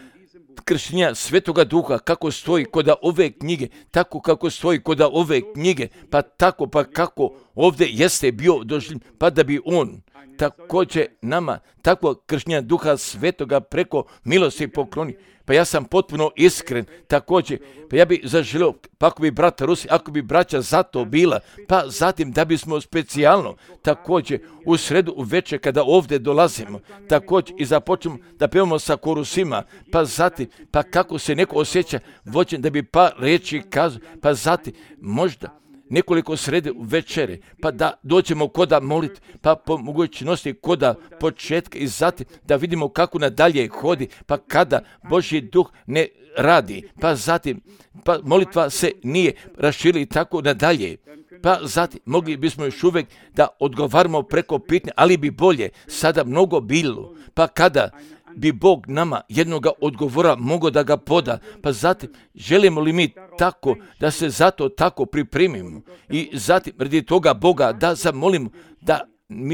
S1: krštenja Svetoga Duha, kako stoji kod ove knjige, tako kako stoji kod ove knjige, pa tako pa kako ovdje jeste bio doživljen, pa da bi On također nama takvo krštenja Duha Svetoga preko milosti pokloni. Pa ja sam potpuno iskren također, pa ja bi zaželio, pa ako bi brata Rusi, ako bi braća za to bila, pa zatim da bismo specijalno također u sredu uvečer kada ovdje dolazimo, također i započnemo da pevamo sa korusima, pa zatim, pa kako se neko osjeća vođen da bi pa reći kazao, pa zatim možda nekoliko srede u večere, pa da dođemo koda moliti, pa po mogućnosti koda početka i zatim da vidimo kako nadalje hodi, pa kada Božji duh ne radi, pa zatim pa molitva se nije raširila i tako nadalje. Pa zatim mogli bismo još uvijek da odgovaramo preko pitanja, ali bi bolje sada mnogo bilo, pa kada bi Bog nama jednoga odgovora mogao da ga poda, pa zatim želimo li mi tako da se zato tako pripremimo i zatim radi toga Boga da zamolimo da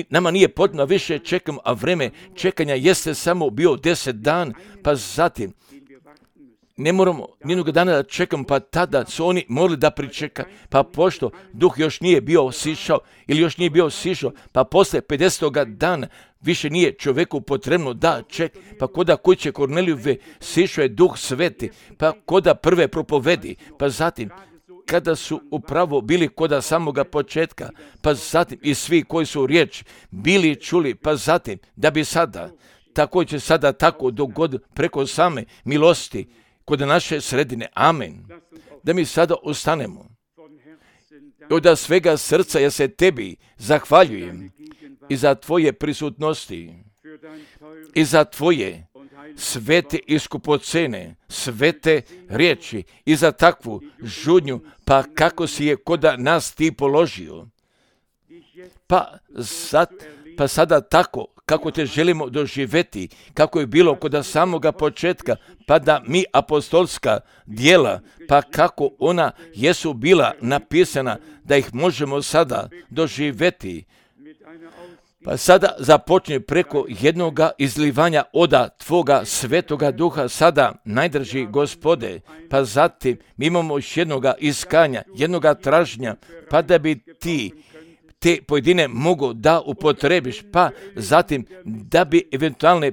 S1: nama nije potrebno više čekamo, a vreme čekanja jeste samo bio 10 dana, pa zatim ne moramo nijednog dana da čekamo, pa tada su oni morali da pričekaju, pa pošto duh još nije bio sišao ili još nije bio sišao, pa posle 50. dana više nije čovjeku potrebno da čeka, pa koda kuće Kornelijove sišao je Duh Sveti, pa koda prve propovedi, pa zatim kada su upravo bili koda samoga početka, pa zatim i svi koji su riječ bili čuli, pa zatim da bi sada, također sada tako dogod preko same milosti kod naše sredine. Amen. Da mi sada ostanemo. Od svega srca ja se tebi zahvaljujem i za tvoje prisutnosti i za tvoje svete i skupocene, svete riječi i za takvu žudnju, pa kako si je koda nas ti položio. Pa sada tako kako te želimo doživjeti, kako je bilo kod samoga početka, pa da mi apostolska djela, pa kako ona jesu bila napisana, da ih možemo sada doživjeti. Pa sada započne preko jednoga izlivanja oda tvoga Svetoga Duha sada, najdraži Gospode, pa zatim mi imamo još jednoga iskanja, jednoga traženja, pa da bi ti te pojedine mogu da upotrebiš, pa zatim da bi eventualne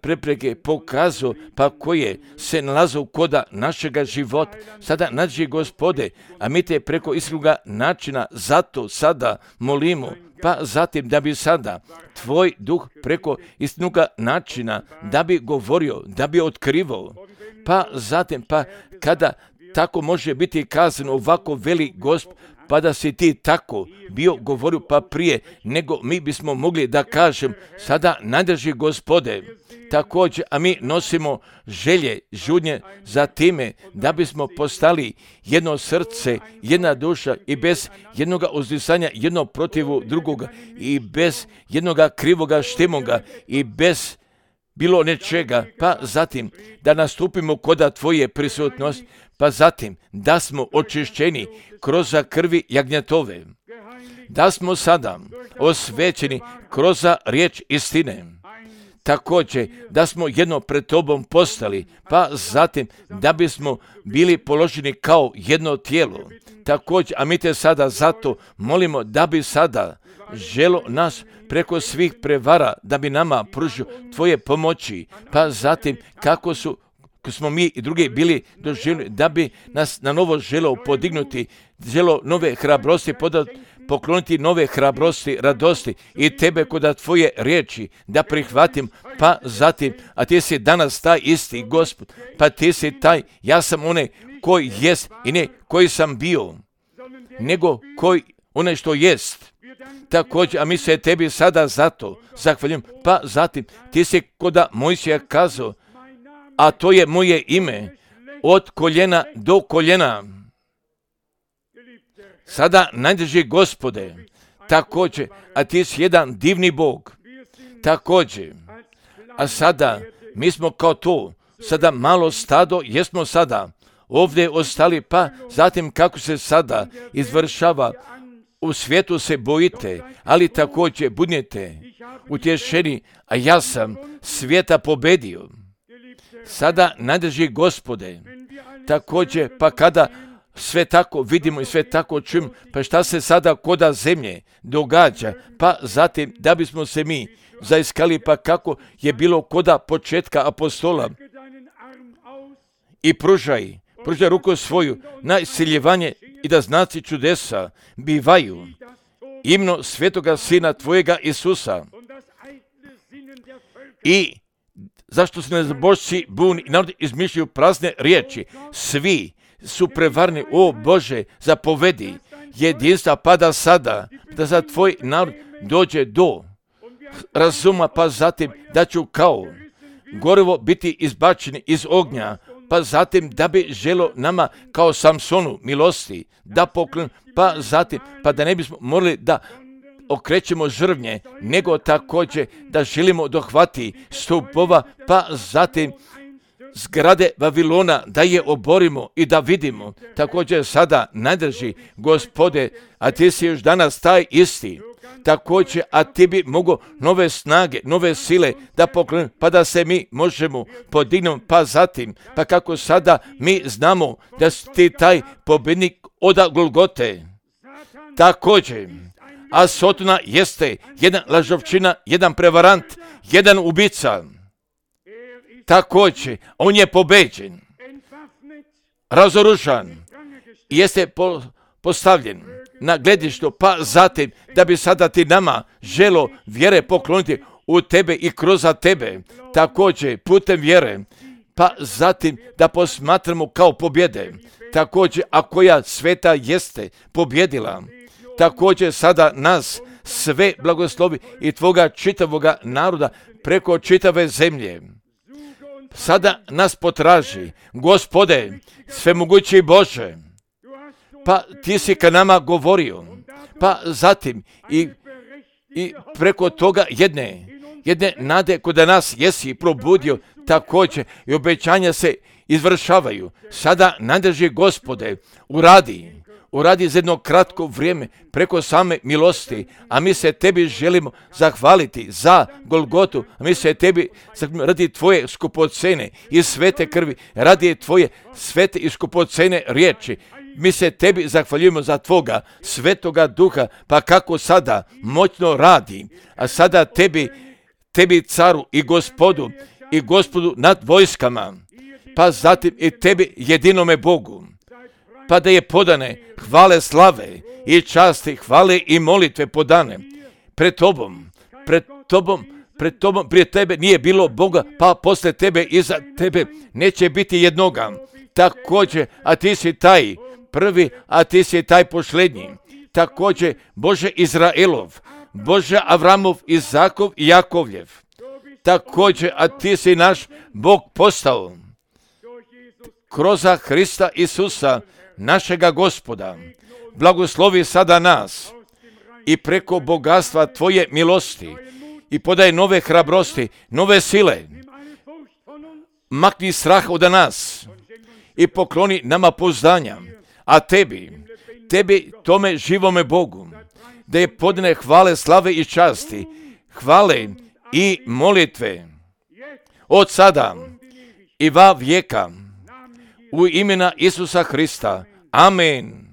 S1: prepreke pokazao, pa koje se nalaze koda našega života. Sada nađi Gospode, a mi te preko iskrenog načina zato sada molimo, pa zatim da bi sada tvoj duh preko iskrenog načina da bi govorio, da bi otkrivao, pa zatim pa kada tako može biti kazano ovako veli Gospod, pa da si ti tako bio govorio pa prije nego mi bismo mogli da kažem sada najdraži Gospode, također, a mi nosimo želje, žudnje za time da bismo postali jedno srce, jedna duša i bez jednoga uzdisanja jedno protivu drugoga i bez jednoga krivoga štimoga i bez bilo nečega, pa zatim da nastupimo koda tvoje prisutnosti, pa zatim da smo očišćeni kroz krvi jagnjetove, da smo sada osvećeni kroz riječ istine, također da smo jedno pred tobom postali, pa zatim da bismo bili položeni kao jedno tijelo, također, a mi te sada zato molimo da bi sada želo nas preko svih prevara da bi nama pružio tvoje pomoći, pa zatim kako smo mi i drugi bili doživjeli da bi nas na novo želo podignuti, želo nove hrabrosti pokloniti nove hrabrosti, radosti i tebe kod tvoje riječi da prihvatim, pa zatim, a ti si danas taj isti Gospod, pa ti si taj, ja sam onaj koji jest i ne koji sam bio, nego koji onaj što jest. Također, a mi se tebi sada zato zahvaljujem. Pa zatim, ti si koda Mojsija kazao, a to je moje ime, od koljena do koljena. Sada, najdraži Gospode, također, a ti si jedan divni Bog. Također, a sada, mi smo kao to, sada malo stado, jesmo sada ovdje ostali, pa zatim kako se sada izvršava, u svijetu se bojite, ali također budete utješeni, a ja sam svijeta pobedio. Sada, najdraži Gospode, također, pa kada sve tako vidimo i sve tako čujemo, pa šta se sada koda zemlje događa, pa zatim da bismo se mi zaiskali, pa kako je bilo koda početka apostola, i pružaj ruku svoju na isciljevanje i da znaci čudesa bivaju imno svetoga Sina tvojega Isusa. I zašto se nezabožci buni i narod izmišljaju prazne riječi, svi su prevarni, o Bože, zapovedi jedinstva, pa da sada, da za tvoj narod dođe do razuma, pa zatim da ću kao gorivo biti izbačeni iz ognja, pa zatim da bi želo nama kao Samsonu milosti da poklon, pa zatim, pa da ne bismo morali da okrećemo žrvnje, nego također da želimo dohvati stupova, pa zatim zgrade Vavilona, da je oborimo i da vidimo. Također sada, najdraži Gospode, a ti si još danas taj isti. Također, a ti bi mogo nove snage, nove sile da poklonimo, pa da se mi možemo podignuti, pa zatim, pa kako sada mi znamo da si ti taj pobjednik od Golgote. Također, a Sotona jeste jedan lažovčina, jedan prevarant, jedan ubica. Također, on je pobeđen, razoružan, jeste postavljen na gledištu, pa zatim da bi sada ti nama želo vjere pokloniti u tebe i kroz tebe, također putem vjere, pa zatim da posmatramo kao pobjede, također a koja sveta jeste pobjedila, također sada nas sve blagoslovi i tvoga čitavoga naroda preko čitave zemlje. Sada nas potraži, Gospode, svemogući Bože, pa ti si ka nama govorio, pa zatim i preko toga jedne nade kod nas jesi probudio, također i obećanja se izvršavaju. Sada, najdraži Gospode, uradi za jedno kratko vrijeme preko same milosti, a mi se tebi želimo zahvaliti za Golgotu, a mi se tebi radi tvoje skupocene i svete krvi, radi tvoje svete i skupocene riječi. Mi se tebi zahvaljujemo za tvoga svetoga duha, pa kako sada moćno radi, a sada tebi caru i gospodu nad vojskama, pa zatim i tebi jedinome Bogu, pa da je podane hvale slave i časti, hvale i molitve podane pred tobom, prije tebe nije bilo Boga, pa posle tebe i za tebe neće biti jednoga. Također, a ti si taj prvi, a ti si taj posljednji. Također, Bože Izraelov, Bože Avramov, Izakov i Jakovljev. Također, a ti si naš Bog postao kroz Hrista Isusa, našega Gospoda. Blagoslovi sada nas i preko bogatstva tvoje milosti i podaj nove hrabrosti, nove sile. Makni strah od nas i pokloni nama pouzdanja, a tebi tome živome Bogu, da je podne hvale, slave i časti, hvale i molitve od sada i va vijeka u imena Isusa Hrista. Amen.